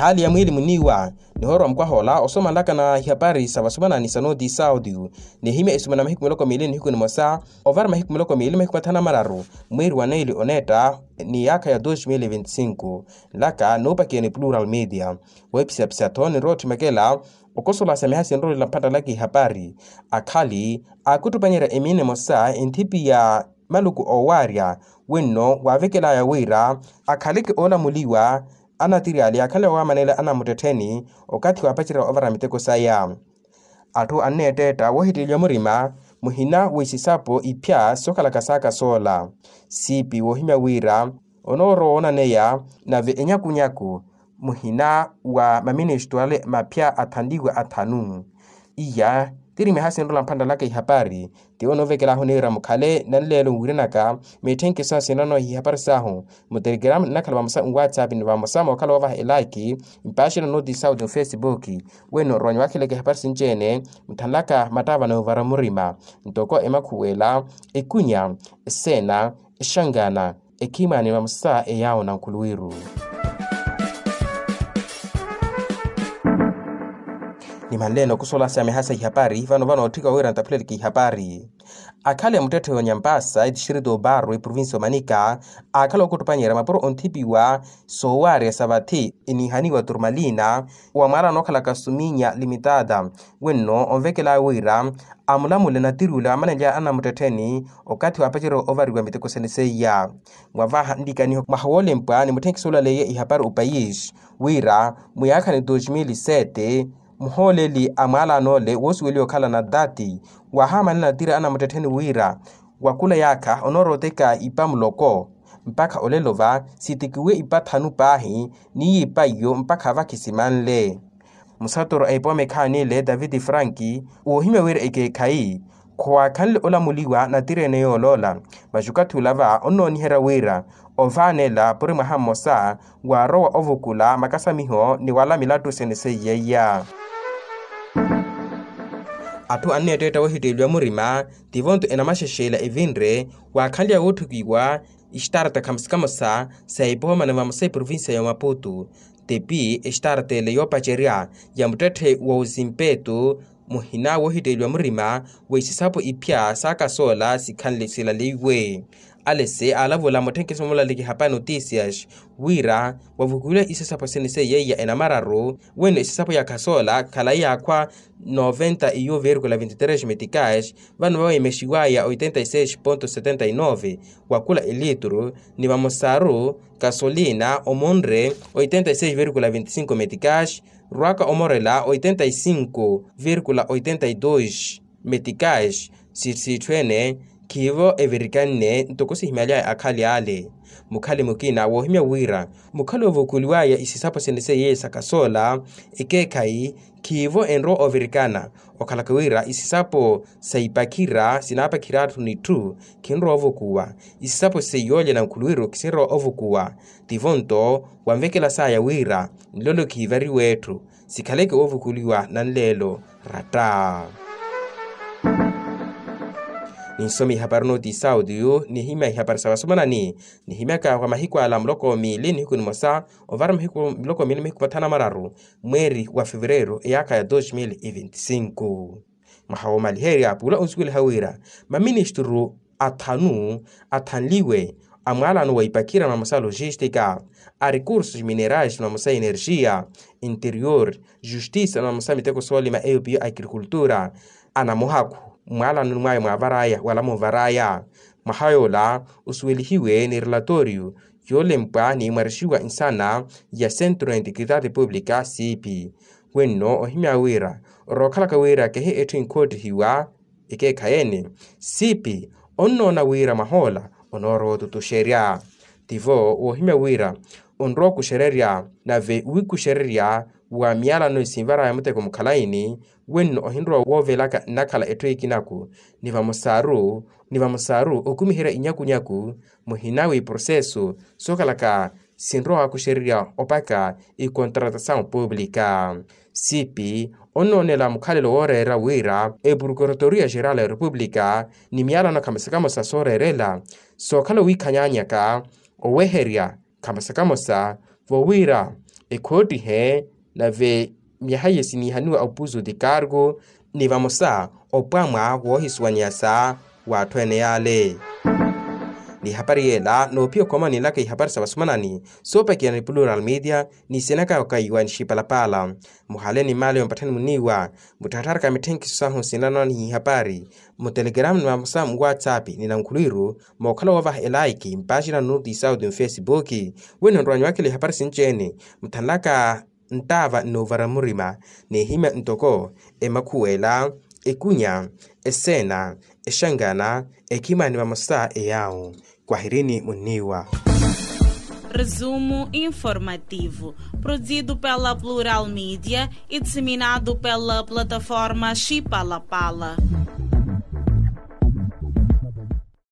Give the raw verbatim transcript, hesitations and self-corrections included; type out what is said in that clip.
Hali ya mwiili muniiwa nihoorwa mukwaha ola osomanlaka na ihapari sa vasumanani sa nooti saudi. Nihimya esumana mahiku miloko miili nihiku nimosa ovara mahiku miloko miili mahiku mathanu na mararu mweeri wa neeli oneetta ni yaakha ya dos mil e venti sinku. Nlaka nuupakiya ni plural media. Wohipisapisa-tho ninrowa otthimakela okosolasya miha sinrolela mphanttala kihapari. Akhali aakutthupanyerya emiina emosa enthipi ya maluku oowaarya wenno waavekelaya wira akhaleke oolamuliwa. Anatiri ale yaakhanle wawaamanela anamuttettheni okathi waapacerya ovara miteko saya. Atthu anneetteetta woohitteleliwa murima muhina w'isisapo iphya sookhalaka saaka soola. Siipi woohimya wira onoorowa woonaneya nave enyakunyaku muhina wa maministwale maphya athanliwa athanu. Iya tiri miha sinrola mphanttala kihapari. Tiwo noovekelaahu niira mukhale nanleelo nwiiranaka mitthenkiso sinrano ihapari saahu mutelegeramu nnakhala vamosa nwatsapp ni vamosa mookhala woovaha elaaki mpaxina nooti saudi nfesipuki. Weno ronya wakhileke ihapari sinci-ene muthanlaka mattaava noovara murima ntoko emakhuwela, ekunya, eseena, exangana, ekhimani vamosa eyaawo na nkhuluwiru. Nimanleene okusolasya miha sa ihapari vano vano otthika wira ntaphuleleke ihapari. Akhale muttetthe yoonya mpaasa etistrito obarro eprovincia omanika aakhala okutthupanyerya mapuro onthipiwa soowaarya sa vathi enihaniwa turmalina wa mwaala nookhalaka suminya limitada. Wenno onvekela wira amulamule natirula amanenlya anamuttettheni okathi waapacerya ovariwa miteko sene seiya. Mwavaha nlikaniho mwaha woolempwa ni mutthenkiso olaleiye ihapari opayisi wira mwiyaakha ni dos mil sete muhooleli a mwaalano ole woosuweliwa okhala nadati waahamanela natiri anamuttettheni wira wakula yaakha onoorooteka ipa muloko mpakha olelo va sitekiwe ipa thanu paahi n'iyo ipa iyo mpakha vakhi simanle. Musatoro a ipooma ekhaani ile daviti franki woohimya wira ekeekhayi khowaakhanle olamuliwa natiri ene yooloola. Masi okathi ula va onnooniherya wira ovaanela puri mwaha mmosa waarowa ovukula makasamiho ni wala milattu sene seiya iya. Atthu anneetteetta woohitteeliwa murima tivo-nto enamaxexeela evinre waakhanlya wootthukiwa ixtarta khamosa khamosa sa epooma ni vamosa eprovincia ya maputu. Tepi extarta ele yoopacerya ya muttetthe wa osimpeto muhina woohitteeliwa murima wa isisapo iphya saaka soola sikhanle silaleiwe. Alese aalavula mutthenkiso mulaliki hapa notisias wira wavukuliwa isisapo sene seiya iya enamararu weno isisapo ya khasoola khalayi yaakhwa noventa iyo virgula vinte tres meticais vano vawemexiwaya oitenta e seis ponto setenta e nove wakula elitru ni vamosaru kasolina omonre oitenta e seis virgula vinte cinco meticais rwaka omorela oitenta e cinco virgula oitenta e dos meticais. Sitthu ene khiivo evirikanne ntoko sihimalyaya akhali ale. Mukhali mukina woohimya wira mukhali ovukuliwaya isisapo sene seiye sa kasoola ekeekhayi khiivo enrowa ovirikana okhalaka wira isisapo sa ipakhira sinaapakhira atthu nitthu khinrowa ovukuwa. Isisapo seiyoolya na nkhuluwiru khinrowa ovukuwa. Tivo-nto wanvekela saya wira nlolo khiivariwe etthu sikhaleke woovukuliwa nanleelo ratta. Ninsomi ihapari noti sauti yu nihimya ihapari sa vasumanani nihimyaka wa mahiku ala muloko miili nihiku nimosa ovara mahiku muloko miili mahiku mathanu na mararu mweeri wa fevereru eyaakha ya dos mil e venti sinku. Mwaha woomaliherya pula onsuweliha wira maministru athanu athanliwe a mwaalano wa ipakhira na mamosa a logistika a recursos minerais na mamosa a energia interior justice na mamosa a miteko soolima eyo piyo agricultura anamuhakhu mwaalanoni mwaya mwaavaraya wala muvaraya. Mwaha yoola osuwelihiwe ni relatorio yoolempwa ni imwarixiwa nsana ya centro ya integridade publica siipi. Wenno ohimya wira orookhalaka wira kehi etthu inkhoottihiwa ekeekhayi-ene siipi onnoona wira mwahoola onoorowa otutuxerya. Tivo woohimya wira onrowa okuxererya nave wiikuxererya wa miyalano esinvaraya muteko mukhalayini. Wenno ohinrowa woovelaka nnakhala etthu ekinaku ni vamosaru ni vamosaru okumiherya inyakunyaku muhina w'iproseso sookhalaka sinrowa wakuxererya opaka ikontratasawu publika. Siipi onnoonela mukhalelo wooreera wira eprokuratoria geral ya repupulika ni miyalano khamosa khamosa sooreerela sookhala owiikhanyanyaka oweherya khamosa khamosa vowira ekhoottihe. Nave myaha iye siniihaniwa opuzu ti kargo ni vamosa opwamwa woohisuwanyasa w'atthu ene yaale. Ni ehapari yeela noophiya okhoma ninlaka ihapari sa vasumanani soopakiyana ni plural media ni senaka okaiwa ni xipalapala. Muhale ni mmaale yompatthani muniiwa mutthattharaka mitthenkiso sahu sinanwa ni ihapari mu telegrama ni vamosa mu whatsapp ni nankhulwiru mookhala woovaha elaiki mpaaxina nnuti sauti mfesibuki. Wino nrowanyi wakhela ihapari sinci-ene muthanlaka nttaava nnoovara murima n'ehimya ntoko emakhuwela, ekunya, eseena, exangana, ekhimani vamosa eyaawu. Kwahirini munniiwa. Resumo informativo, produzido pela Plural Media e disseminado pela plataforma Xipalapala.